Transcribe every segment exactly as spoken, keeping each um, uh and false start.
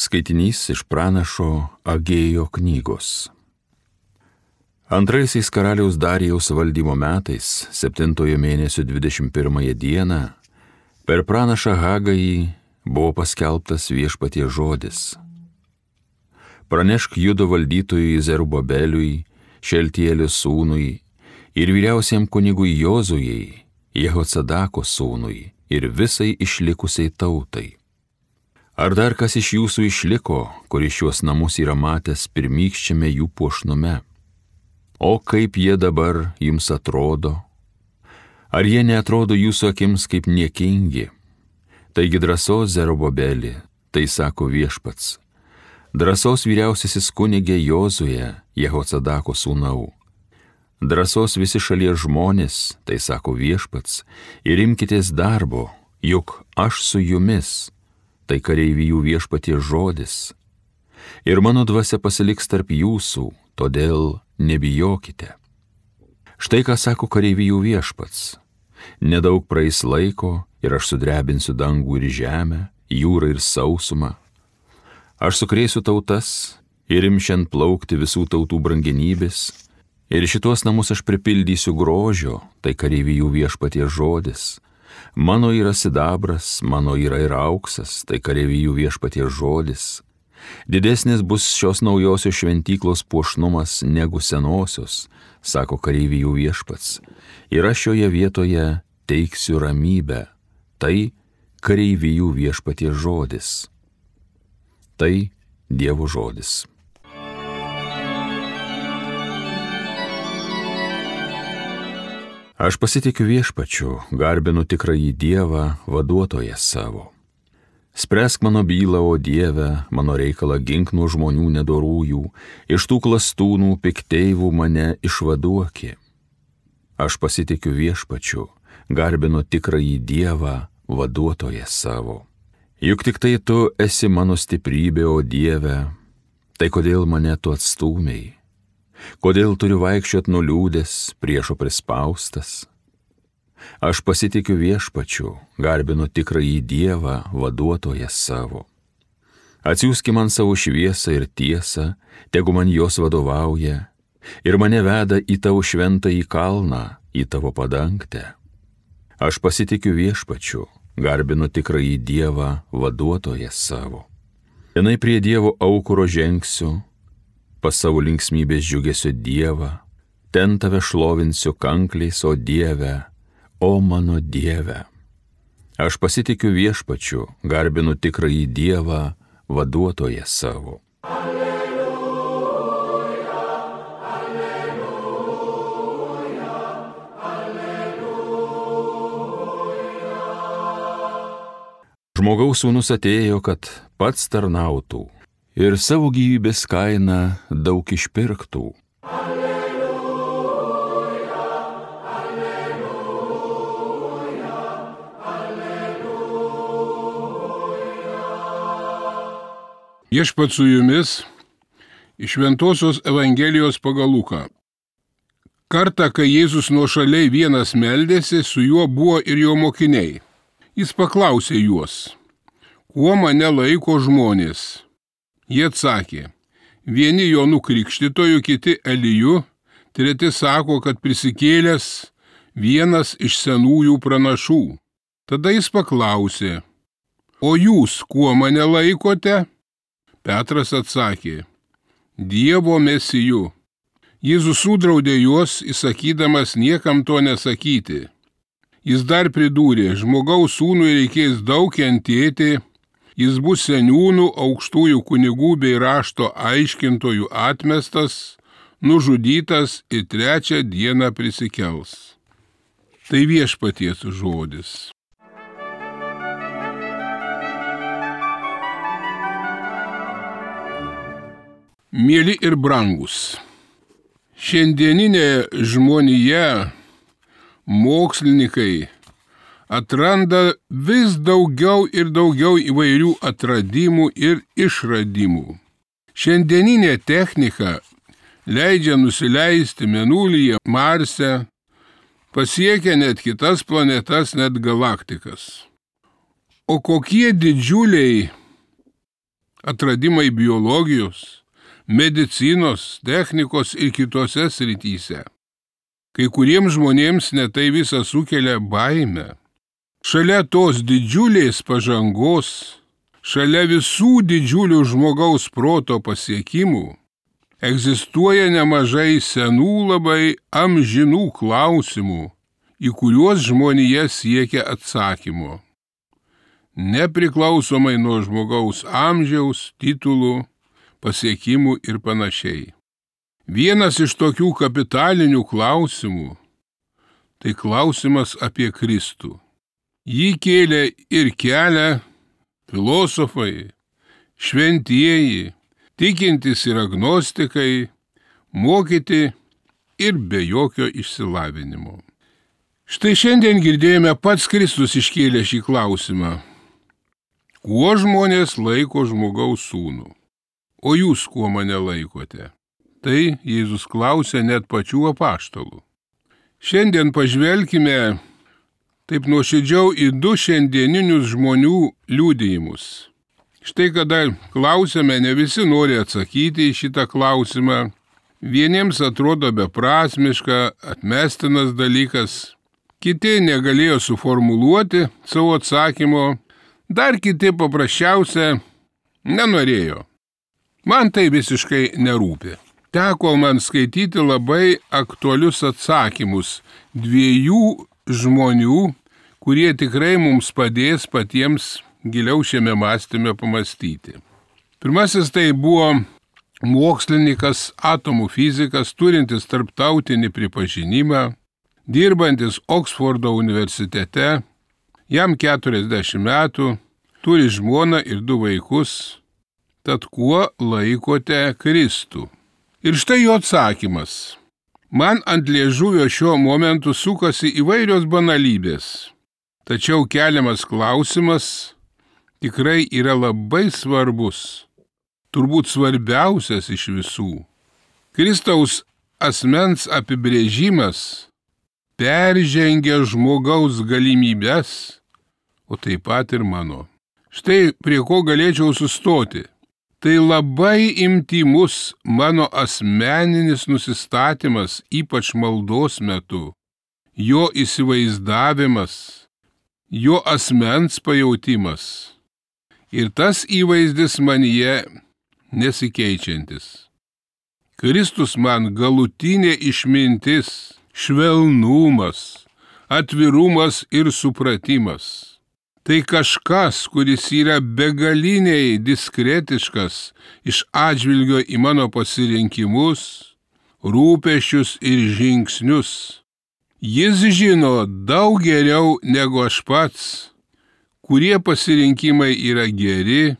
Skaitinys iš pranašo Agėjo knygos. Antraisiais karaliaus Darijaus valdymo metais, septintojo mėnesio dvidešimt pirmąją dieną, per pranašą Hagajį buvo paskelbtas Viešpaties žodis. Pranešk Judo valdytojui Zerubabeliui, Šeltielio sūnui ir vyriausiam kunigui Jozujai, Jehocadako sūnui ir visai išlikusiai tautai. Ar dar kas iš jūsų išliko, kuris šiuos namus yra matęs pirmykščiame jų puošnume? O kaip jie dabar jums atrodo? Ar jie neatrodo jūsų akims kaip niekingi? Taigi drąsos Zerubabeli, tai sako Viešpats. Drąsos vyriausiasis kunigė Jozuje, Jehocadako sūnau. Drąsos visi šalies žmonės, tai sako Viešpats, ir imkitės darbo, juk aš su jumis. Tai kareivijų Viešpaties žodis. Ir mano dvasia pasiliks tarp jūsų, todėl nebijokite. Štai ką sako kareivijų Viešpats. Nedaug praeis laiko ir aš sudrebinsiu dangų ir žemę, jūrą ir sausumą. Aš sukrėsiu tautas ir imšiant plaukti visų tautų brangenybės, ir šitos namus aš pripildysiu grožio, tai kareivijų Viešpaties žodis. Mano yra sidabras, mano yra ir auksas, tai kareivijų Viešpaties žodis. Didesnis bus šios naujosios šventyklos puošnumas negu senosios, sako kareivijų Viešpats. Ir aš šioje vietoje teiksiu ramybę, tai kareivijų Viešpaties žodis. Tai Dievo žodis. Aš pasitikiu Viešpačiu, garbinu tikrąjį Dievą, vaduotoją savo. Spręsk mano bylą, o Dieve, mano reikalą gink nuo žmonių nedorųjų, iš tų klastūnų pikteivų mane išvaduoki. Aš pasitikiu Viešpačiu, garbinu tikrąjį Dievą, vaduotoją savo. Juk tik tai tu esi mano stiprybė, o Dieve, tai kodėl mane tu atstūmei? Kodėl turiu vaikščiot nuliūdęs, priešo prispaustas? Aš pasitikiu Viešpačiu, garbinu tikrąjį Dievą, vaduotoją savo. Atsiųski man savo šviesą ir tiesą, tegu man jos vadovauja, ir mane veda į tavo šventąjį kalną, į tavo padangtę. Aš pasitikiu Viešpačiu, garbinu tikrąjį Dievą, vaduotoją savo. Vienai prie Dievo aukuro žengsiu, pas savo linksmybės džiugesio Dievą, ten tave šlovinsiu kankliais, o Dieve, o mano Dieve. Aš pasitikiu Viešpačiu, garbinu tikrąjį Dievą, vaduotoją savo. Alleluja, alleluja, alleluja. Žmogaus sūnus atėjo, kad pats tarnautų ir savo gyvybės kainą daug išpirktų. Alleluja, alleluja, alleluja. Viešpats su jumis iš Šventosios Evangelijos pagal Luką. Kartą, kai Jėzus nuošaliai vienas meldėsi, su juo buvo ir jo mokiniai. Jis paklausė juos, kuo mane laiko žmonės? Jie atsakė, vieni Jonu Krikštytoju, kiti Eliju, treti sako, kad prisikėlęs vienas iš senųjų pranašų. Tada jis paklausė, o jūs kuo mane laikote? Petras atsakė, Dievo Mesiju. Jėzus sudraudė juos, įsakydamas niekam to nesakyti. Jis dar pridūrė, žmogaus sūnui reikės daug kentėti, jis bus seniūnų, aukštųjų kunigų bei rašto aiškintojų atmestas, nužudytas ir trečią dieną prisikels. Tai Viešpaties žodis. Mieli ir brangus, šiandieninė žmonija, mokslininkai, atranda vis daugiau ir daugiau įvairių atradimų ir išradimų. Šiandieninė technika leidžia nusileisti Mėnulyje, Marse, pasiekia net kitas planetas, net galaktikas. O kokie didžiuliai atradimai biologijos, medicinos, technikos ir kitose srityse. Kai kuriems žmonėms netai visa sukelia baimę. Šalia tos didžiulės pažangos, šalia visų didžiulių žmogaus proto pasiekimų, egzistuoja nemažai senų labai amžinų klausimų, į kuriuos žmonija siekia atsakymo. Nepriklausomai nuo žmogaus amžiaus, titulų, pasiekimų ir panašiai. Vienas iš tokių kapitalinių klausimų – tai klausimas apie Kristų. Jį kėlė ir kelia filosofai, šventieji, tikintys ir agnostikai, mokyti ir be jokio išsilavinimo. Štai šiandien girdėjome, pats Kristus iškėlė šį klausimą. Kuo žmonės laiko žmogaus sūnų? O jūs kuo mane laikote? Tai Jėzus klausė net pačių apaštalų. Šiandien pažvelkime taip nuoširdžiau į du šiandieninius žmonių liudijimus. Štai kada klausėme, ne visi nori atsakyti į šitą klausimą. Vieniems atrodo beprasmiška, atmestinas dalykas. Kiti negalėjo suformuluoti savo atsakymo. Dar kiti paprasčiausia nenorėjo. Man tai visiškai nerūpi. Teko man skaityti labai aktualius atsakymus dviejų žmonių, kurie tikrai mums padės patiems giliau šiame mąstyme pamastyti. Pirmasis tai buvo mokslininkas, atomų fizikas, turintis tarptautinį pripažinimą, dirbantis Oksfordo universitete, jam keturiasdešimt metų, turi žmoną ir du vaikus, tad kuo laikote Kristų? Ir štai jo atsakymas. Man ant liežuvio šiuo momentu sukasi įvairios banalybės, tačiau keliamas klausimas tikrai yra labai svarbus, turbūt svarbiausias iš visų. Kristaus asmens apibrėžimas peržengia žmogaus galimybes, o taip pat ir mano. Štai prie ko galėčiau sustoti. Tai labai intymus mano asmeninis nusistatymas, ypač maldos metu, jo įsivaizdavimas, jo asmens pajautimas. Ir tas įvaizdis manyje nesikeičiantis. Kristus man galutinė išmintis, švelnumas, atvirumas ir supratimas. Tai kažkas, kuris yra begaliniai diskretiškas iš atžvilgio į mano pasirinkimus, rūpesčius ir žingsnius. Jis žino daug geriau negu aš pats, kurie pasirinkimai yra geri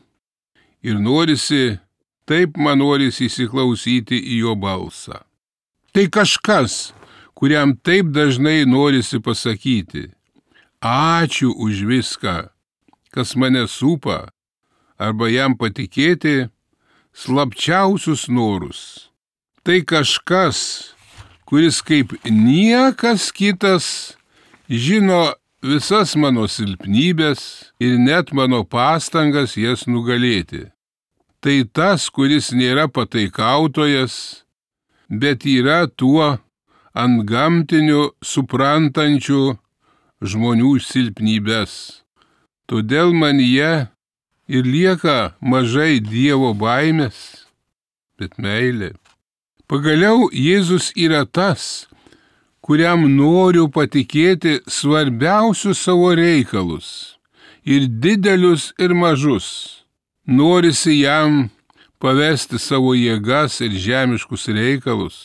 ir norisi, taip man norisi įsiklausyti į jo balsą. Tai kažkas, kuriam taip dažnai norisi pasakyti: ačiū už viską, kas mane supa, arba jam patikėti slapčiausius norus. Tai kažkas, kuris kaip niekas kitas žino visas mano silpnybės ir net mano pastangas jas nugalėti. Tai tas, kuris nėra pataikautojas, bet yra tuo antgamtiniu suprantančiu žmonių silpnybės. Todėl manyje ir lieka mažai Dievo baimės, bet meilė. Pagaliau Jėzus yra tas, kuriam noriu patikėti svarbiausius savo reikalus, ir didelius, ir mažus. Norisi jam pavesti savo jėgas ir žemiškus reikalus,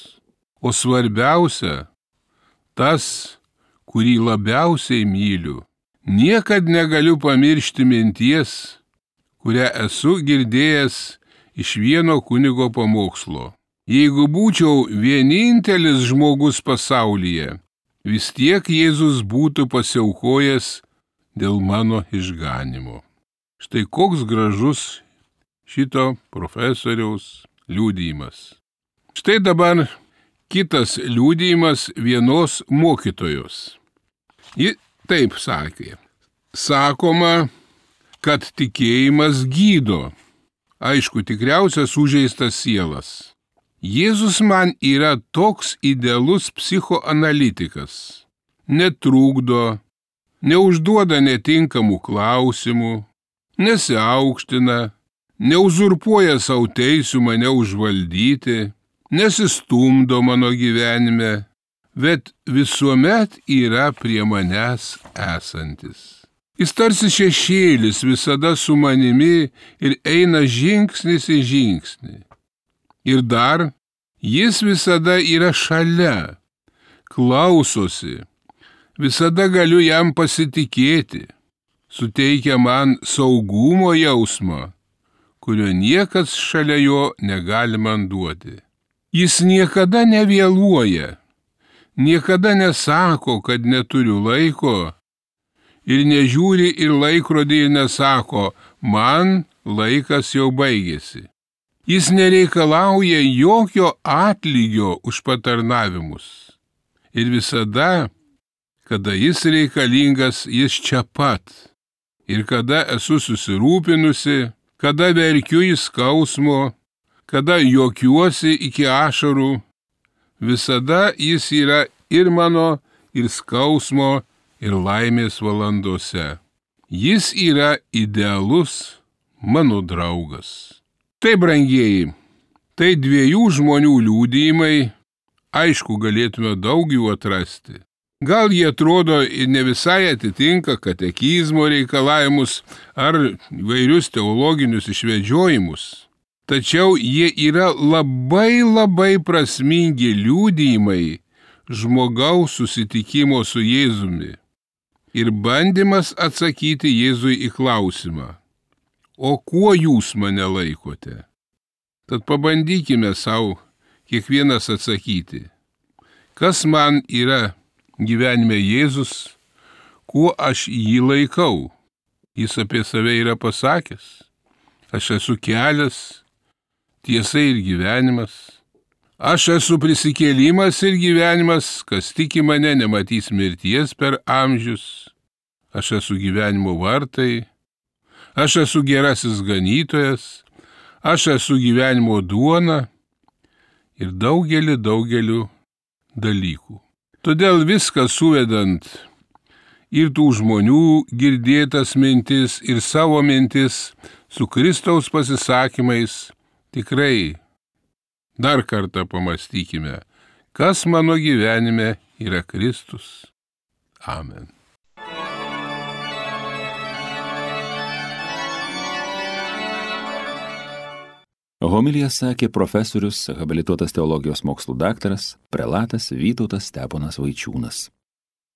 o svarbiausia, tas, kurį labiausiai myliu. Niekad negaliu pamiršti minties, kurią esu girdėjęs iš vieno kunigo pamokslo. Jeigu būčiau vienintelis žmogus pasaulyje, vis tiek Jėzus būtų pasiaukojęs dėl mano išganimo. Štai koks gražus šito profesoriaus liudijimas. Štai dabar kitas liudijimas vienos mokytojos. Ji taip sakė: sakoma, kad tikėjimas gydo, aišku, tikriausias sužeistas sielas. Jėzus man yra toks idealus psichoanalitikas. Netrukdo, neužduoda netinkamų klausimų, nesiaukština, neuzurpuoja savo teisių mane užvaldyti, nesistumdo mano gyvenime, bet visuomet yra prie manęs esantis. Jis tarsi šešėlis visada su manimi ir eina žingsnis į žingsnį. Ir dar jis visada yra šalia, klausosi, visada galiu jam pasitikėti, suteikia man saugumo jausmą, kurio niekas šalia jo negali man duoti. Jis niekada nevėluoja, niekada nesako, kad neturiu laiko ir nežiūri ir laikrodį ir nesako, man laikas jau baigėsi. Jis nereikalauja jokio atlygio už patarnavimus. Ir visada, kada jis reikalingas, jis čia pat. Ir kada esu susirūpinusi, kada verkiu į skausmo, kada juokiuosi iki ašarų, visada jis yra ir mano, ir skausmo, ir laimės valandose. Jis yra idealus mano draugas. Tai, brangieji, tai dviejų žmonių liudijimai, aišku, galėtume daug jų atrasti. Gal jie atrodo ir ne visai atitinka katekizmo reikalavimus ar vairius teologinius išvedžiojimus. Tačiau jie yra labai labai prasmingi liudijimai žmogaus susitikimo su Jėzumi ir bandymas atsakyti Jėzui į klausimą, o kuo jūs mane laikote? Tad pabandykime savo kiekvienas atsakyti, kas man yra gyvenime Jėzus, kuo aš jį laikau. Jis apie save yra pasakęs, aš esu kelias, tiesa ir gyvenimas. Aš esu prisikėlimas ir gyvenimas, kas tiki mane, nematys mirties per amžius. Aš esu gyvenimo vartai. Aš esu gerasis ganytojas. Aš esu gyvenimo duona ir daugelį, daugelių dalykų. Todėl viską suvedant ir tų žmonių girdėtas mintis ir savo mintis su Kristaus pasisakymais, tikrai dar kartą pamastykime, kas mano gyvenime yra Kristus. Amen. Homiliją sakė profesorius, habilituotas teologijos mokslų daktaras, prelatas Vytautas Steponas Vaičiūnas.